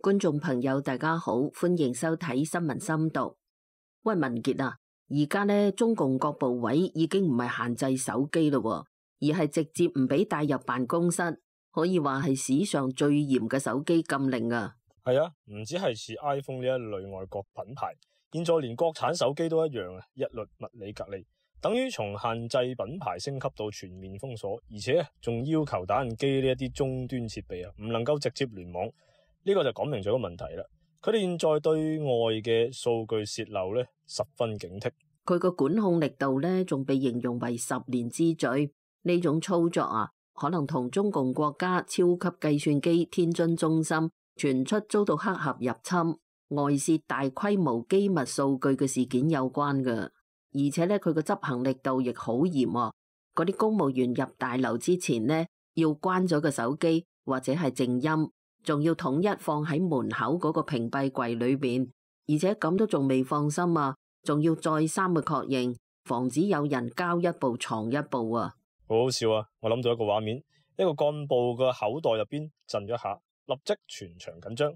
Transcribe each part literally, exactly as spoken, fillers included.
觀眾朋友，大家好，歡迎收睇新聞深度。喂，文傑啊，而家咧中共各部委已經唔係限制手機咯，而係直接唔俾帶入辦公室，可以話係史上最嚴嘅手機禁令啊。係啊，唔止係似 iPhone 呢一類外國品牌，現在連國產手機都一樣啊，一律物理隔離，等於從限制品牌升級到全面封鎖，而且仲要求打印機呢一啲終端設備啊，唔能夠直接聯網。呢個就講明咗個問題啦。佢哋現在對外嘅數據洩漏咧，十分警惕。佢個管控力度咧，仲被形容為十年之最。呢種操作啊，可能同中共國家超級計算機天津中心傳出遭到黑客入侵、外泄大規模機密數據嘅事件有關㗎。而且咧，佢個執行力度亦好嚴喎。嗰啲公務員入大樓之前呢，要關咗個手機或者係靜音。仲要統一放喺門口嗰個屏蔽櫃裏邊，而且咁都仲未放心啊，仲要再三嘅確認，防止有人交一步藏一步啊！好好笑啊！我諗到一個畫面，一個幹部嘅口袋入邊震咗下，立即全場緊張，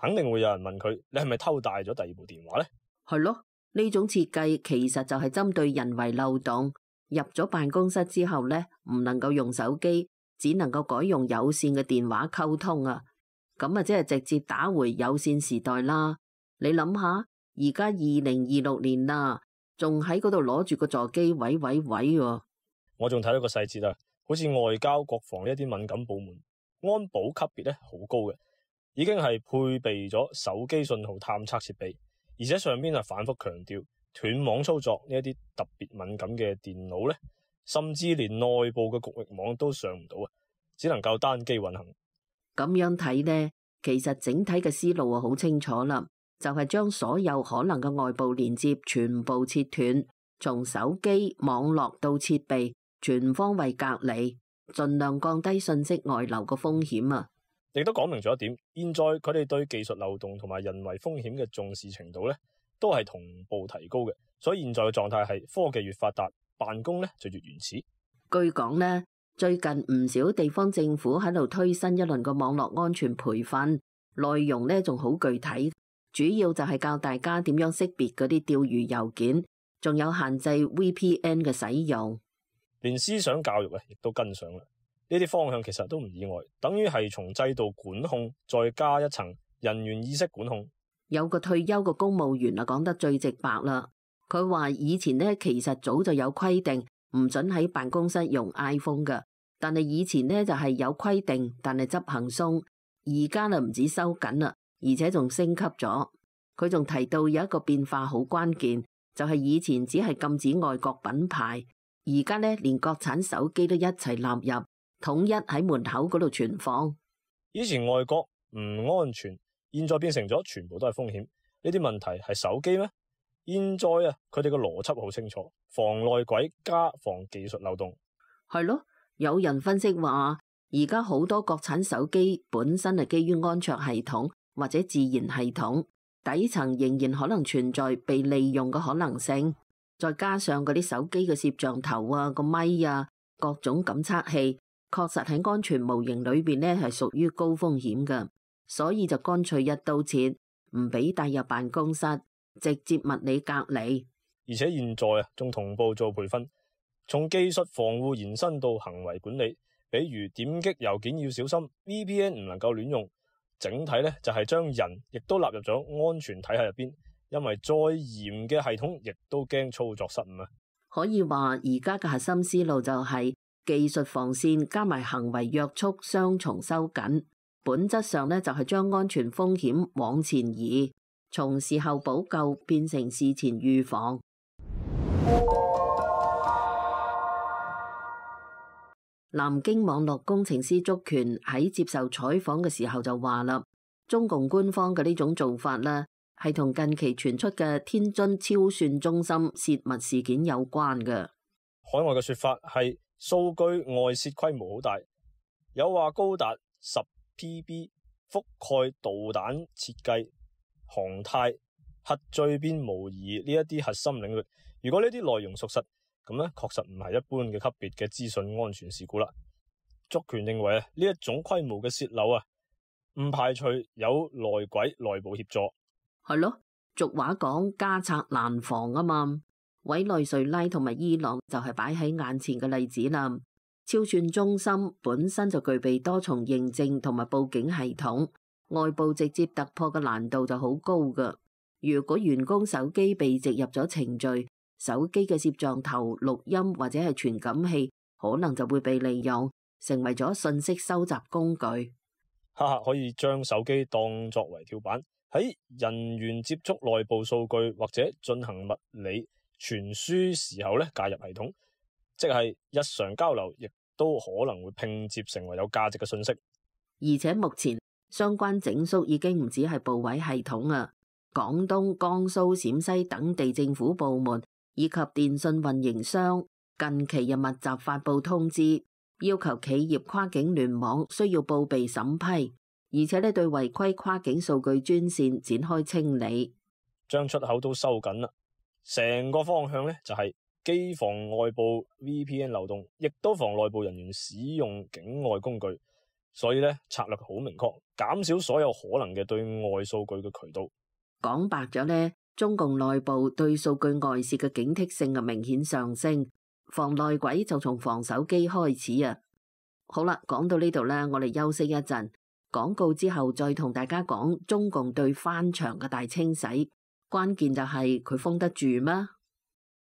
肯定會有人問佢：你係咪偷帶咗第二部電話呢？係咯，呢種設計其實就係針對人為漏洞。入咗辦公室之後呢，唔能夠用手機，只能夠改用有線嘅電話溝通啊！咁啊，即係直接打回有線時代啦。你諗下，而家二零二六年啦，仲喺嗰度攞住個座機位位位喎。我仲睇到個細節啊，好似外交、國防呢一啲敏感部門，安保級別咧好高嘅，已經係配備咗手機信號探測設備，而且上邊啊反覆強調斷網操作呢一啲特別敏感嘅電腦咧，甚至連內部嘅局域網都上唔到啊，只能夠單機運行。咁樣睇呢，其實整體嘅思路啊好清楚啦，就係將所有可能嘅外部連接全部切斷，從手機、網絡到設備，全方位隔離，盡量降低信息外流嘅風險啊！亦都講明咗一點，現在佢哋對技術漏洞同埋人為風險嘅重視程度咧，都係同步提高嘅。所以現在嘅狀態係科技越發達，辦公咧就越原始。據講呢，最近唔少地方政府喺度推新一輪嘅網絡安全培訓，內容咧仲好具體，主要就係教大家點樣識別嗰啲釣魚郵件，仲有限制 V P N 嘅使用，連思想教育啊，亦都跟上啦。呢啲方向其實都唔意外，等於係從制度管控再加一層人員意識管控。有個退休嘅公務員啊，講得最直白啦。佢話以前呢，其實早就有規定唔准喺辦公室用 iPhone 㗎，但係以前呢，就係有規定，但係執行鬆。而家呢，唔止收緊啦，而且仲升級咗。佢仲提到有一個變化好關鍵，就係以前只係禁止外國品牌，而家呢，連國產手機都一齊納入，統一喺門口嗰度存放。以前外國唔安全，現在變成咗全部都係風險。呢啲問題係手機咩？現在啊，佢哋個邏輯好清楚，防內鬼加防技術漏洞。係咯，有人分析話，而家好多國產手機本身係基於安卓系統或者自研系統，底層仍然可能存在被利用嘅可能性。再加上嗰啲手機嘅攝像頭啊、個咪啊、各種感測器，確實喺安全模型裏邊呢係屬於高風險嘅，所以就乾脆一刀切，唔俾帶入辦公室，直接物理隔離。而且現在啊，仲同步做培訓，從技術防護延伸到行為管理，比如點擊郵件要小心 ，V P N 唔能夠亂用。整體咧就係將人亦都納入咗安全體系入邊，因為再嚴嘅系統亦都驚操作失誤啊。可以話而家嘅核心思路就係技術防線加埋行為約束雙重收緊，本質上咧就係將安全風險往前移，從事後補救變成事前預防。南京網絡工程師祝權喺接受採訪嘅時候就話啦，中共官方嘅呢種做法咧，係同近期傳出嘅天津超算中心泄密事件有關嘅。海外嘅說法係數據外泄規模好大，有話高達十 P B， 覆蓋導彈設計、航太、核聚變模擬呢一啲核心領域。如果呢啲內容屬實，咁咧確實唔係一般嘅級別嘅資訊安全事故啦。祝權認為啊，呢一種規模嘅泄漏啊，唔排除有內鬼內部協助。係咯，俗話講家賊難防啊嘛。委內瑞拉同埋伊朗就係擺喺眼前嘅例子啦。超算中心本身就具備多重認證同埋報警系統，外部直接突破嘅難度就好高噶。如果員工手機被植入咗程序，手機嘅攝像頭、錄音或者係傳感器，可能就會被利用，成為咗信息收集工具。黑客可以將手機當作為跳板，喺人員接觸內部數據或者進行物理傳輸時候咧介入系統，即係日常交流亦都可能會拼接成為有價值嘅信息。而且目前相關整肅已經唔止係部委系統啊，廣東、江蘇、陝西等地政府部門以及電信運營商近期又密集發布通知，要求企業跨境聯網需要報備審批，而且咧對違規跨境數據專線展開清理，將出口都收緊啦。成個方向咧就係既防外部 V P N 漏洞，亦都防內部人員使用境外工具。所以咧策略好明確，減少所有可能嘅對外數據嘅渠道。講白咗咧，中共內部對數據外泄嘅警惕性啊明顯上升，防內鬼就從防手機開始啊。好啦，講到呢度咧，我哋休息一陣，廣告之後再同大家講中共對翻牆嘅大清洗，關鍵就係佢封得住嗎？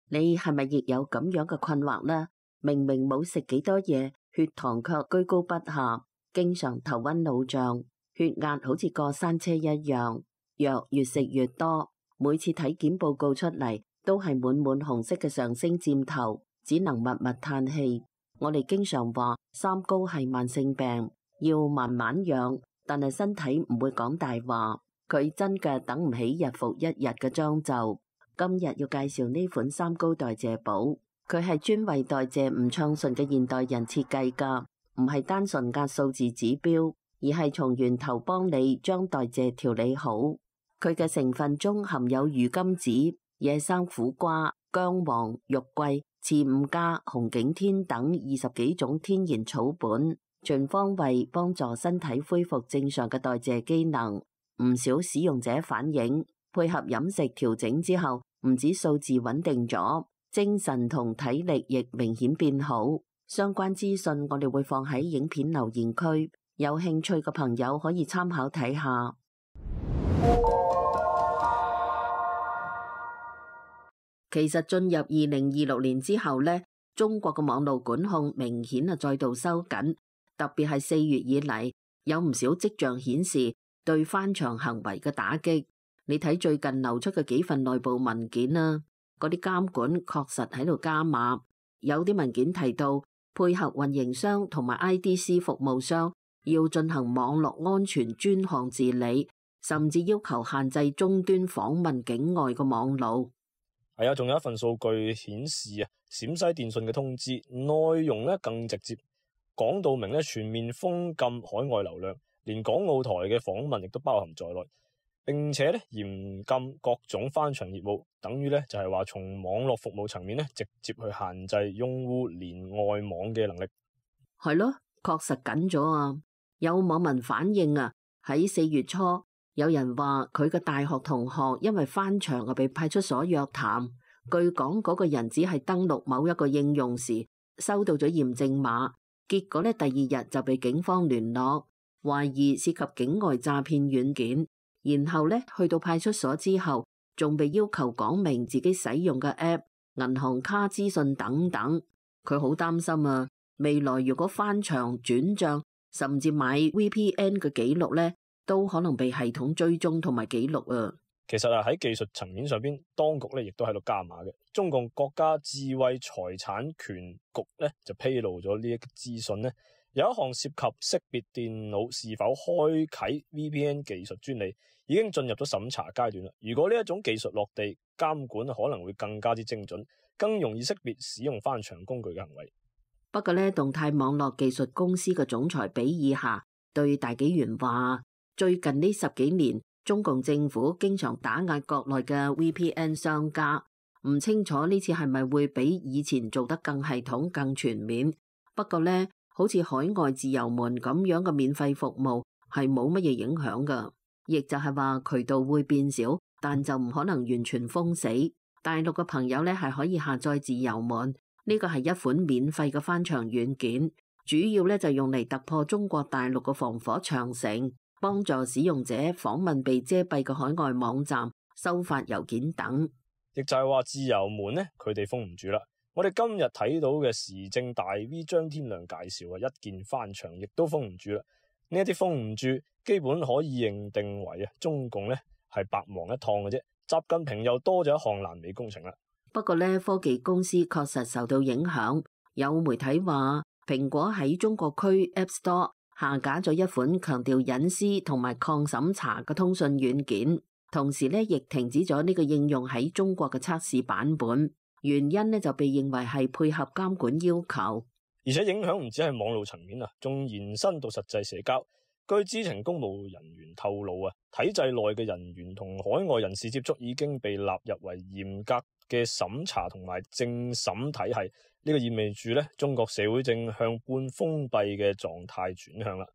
你係咪亦有咁樣嘅困惑呢？明明冇食幾多嘢，血糖卻居高不下，經常頭暈腦脹，血壓好似過山車一樣，藥越食越多，每次體檢報告出嚟都係滿滿紅色嘅上升箭頭，只能默默嘆氣。我哋經常話三高係慢性病，要慢慢養，但係身體唔會講大話，佢真嘅等唔起日復一日嘅將就。今日要介紹呢款三高代謝寶，佢係專為代謝唔暢順嘅現代人設計㗎，唔係單純壓數字指標，而係從源頭幫你將代謝調理好。佢嘅成分中含有魚甘子、野生苦瓜、薑黃、肉桂、刺五加、紅景天等二十幾種天然草本，全方位幫助身體恢復正常嘅代謝機能。唔少使用者反映，配合飲食調整之後，唔止數字穩定咗，精神同體力亦明顯變好。相關資訊我哋會放喺影片留言區，有興趣嘅朋友可以參考睇下。其實進入二零二六年之後呢，中國嘅網絡管控明顯啊再度收緊，特別係四月以嚟，有唔少跡象顯示對翻牆行為嘅打擊。你睇最近流出嘅幾份內部文件啦，嗰啲監管確實喺度加碼。有啲文件提到，配合運營商同埋 I D C 服務商要進行網絡安全專項治理，甚至要求限制終端訪問境外嘅網路。係啊，仲有一份數據顯示啊，陝西電信嘅通知內容咧更直接，講到明咧全面封禁海外流量，連港澳台嘅訪問亦都包含在內。並且咧嚴禁各種翻牆業務，等於咧就係話從網絡服務層面咧直接去限制用戶連外網嘅能力。係咯，確實緊咗啊！有網民反映啊，喺四月初有人話佢嘅大學同學因為翻牆啊被派出所約談，據講嗰個人只係登錄某一個應用時收到咗驗證碼，結果咧第二日就被警方聯絡，懷疑涉及境外詐騙軟件。然後咧，去到派出所之後，仲被要求講明自己使用嘅 app、銀行卡資訊等等。佢好擔心啊，未來如果翻牆、轉賬，甚至買 V P N 嘅記錄咧，都可能被系統追蹤同埋記錄啊。其實啊，喺技術層面上邊，當局咧亦都喺度加碼嘅。中共國家智慧財產權局咧就披露咗呢一個資訊咧。有一項涉及識別電腦是否開啟 V P N 技術專利，已經進入咗審查階段啦。如果呢一種技術落地，監管可能會更加之精準，更容易識別使用翻牆工具嘅行為。不過呢，動態網絡技術公司嘅總裁比爾夏對大紀元話，最近呢十幾年，中共政府經常打壓國內嘅 V P N 商家，唔清楚呢次係咪會比以前做得更系統、更全面。不過呢，好似海外自由門咁樣嘅免費服務，係冇乜嘢影響噶，亦就係話渠道會變少，但就唔可能完全封死。大陸嘅朋友咧係可以下載自由門，呢個係一款免費嘅翻牆軟件，主要咧就用嚟突破中國大陸嘅防火長城，幫助使用者訪問被遮蔽嘅海外網站、收發郵件等。亦就係話自由門咧，佢哋封唔住啦。我哋今日睇到嘅時政大 V 張天亮介紹啊，一鍵翻牆亦都封唔住啦。呢一啲封唔住，基本可以認定為啊，中共咧係白忙一趟嘅啫。習近平又多咗一項爛尾工程啦。不過咧，科技公司確實受到影響。有媒體話，蘋果喺中國區 App Store 下架咗一款強調隱私同埋抗審查嘅通訊軟件，同時咧亦停止咗呢個應用喺中國嘅測試版本。原因咧就被認為係配合監管要求，而且影響唔止係網絡層面啊，仲延伸到實際社交。據知情公務人員透露啊，體制內嘅人員同海外人士接觸已經被納入為嚴格嘅審查同埋政審體系。呢個意味住咧，中國社會正向半封閉嘅狀態轉向啦。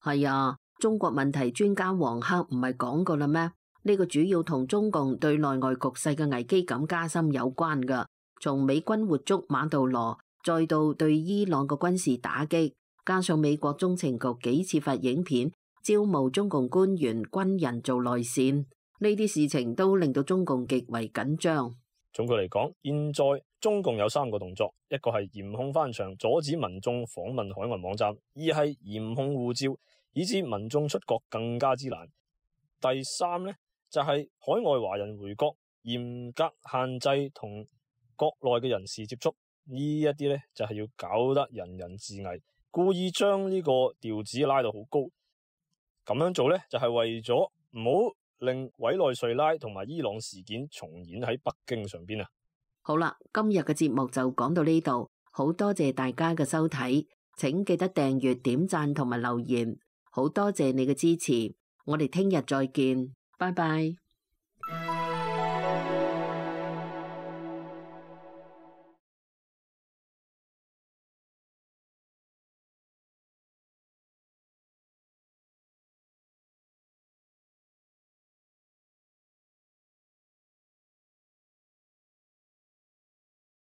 係啊，中國問題專家黃克唔係講過啦咩？呢個主要同中共對內外局勢嘅危機感加深有關噶。從美軍活捉馬杜羅，再到對伊朗嘅軍事打擊，加上美國中情局幾次發影片招募中共官員軍人做內線，呢啲事情都令到中共極為緊張。總括嚟講，現在中共有三個動作：一個係嚴控翻牆，阻止民眾訪問海外網站；二係嚴控護照，以致民眾出國更加之難；第三呢，就係、是、海外華人回國，嚴格限制同國內嘅人士接觸。呢一啲呢，就係、是、要搞得人人自危，故意將呢個調子拉到好高。咁樣做呢，就係、是、為咗唔好令委內瑞拉同埋伊朗事件重演喺北京上邊啊！好啦，今日嘅節目就講到呢度，好多謝大家嘅收睇，請記得訂閱、點讚同埋留言，好多謝你嘅支持，我哋聽日再見，拜拜。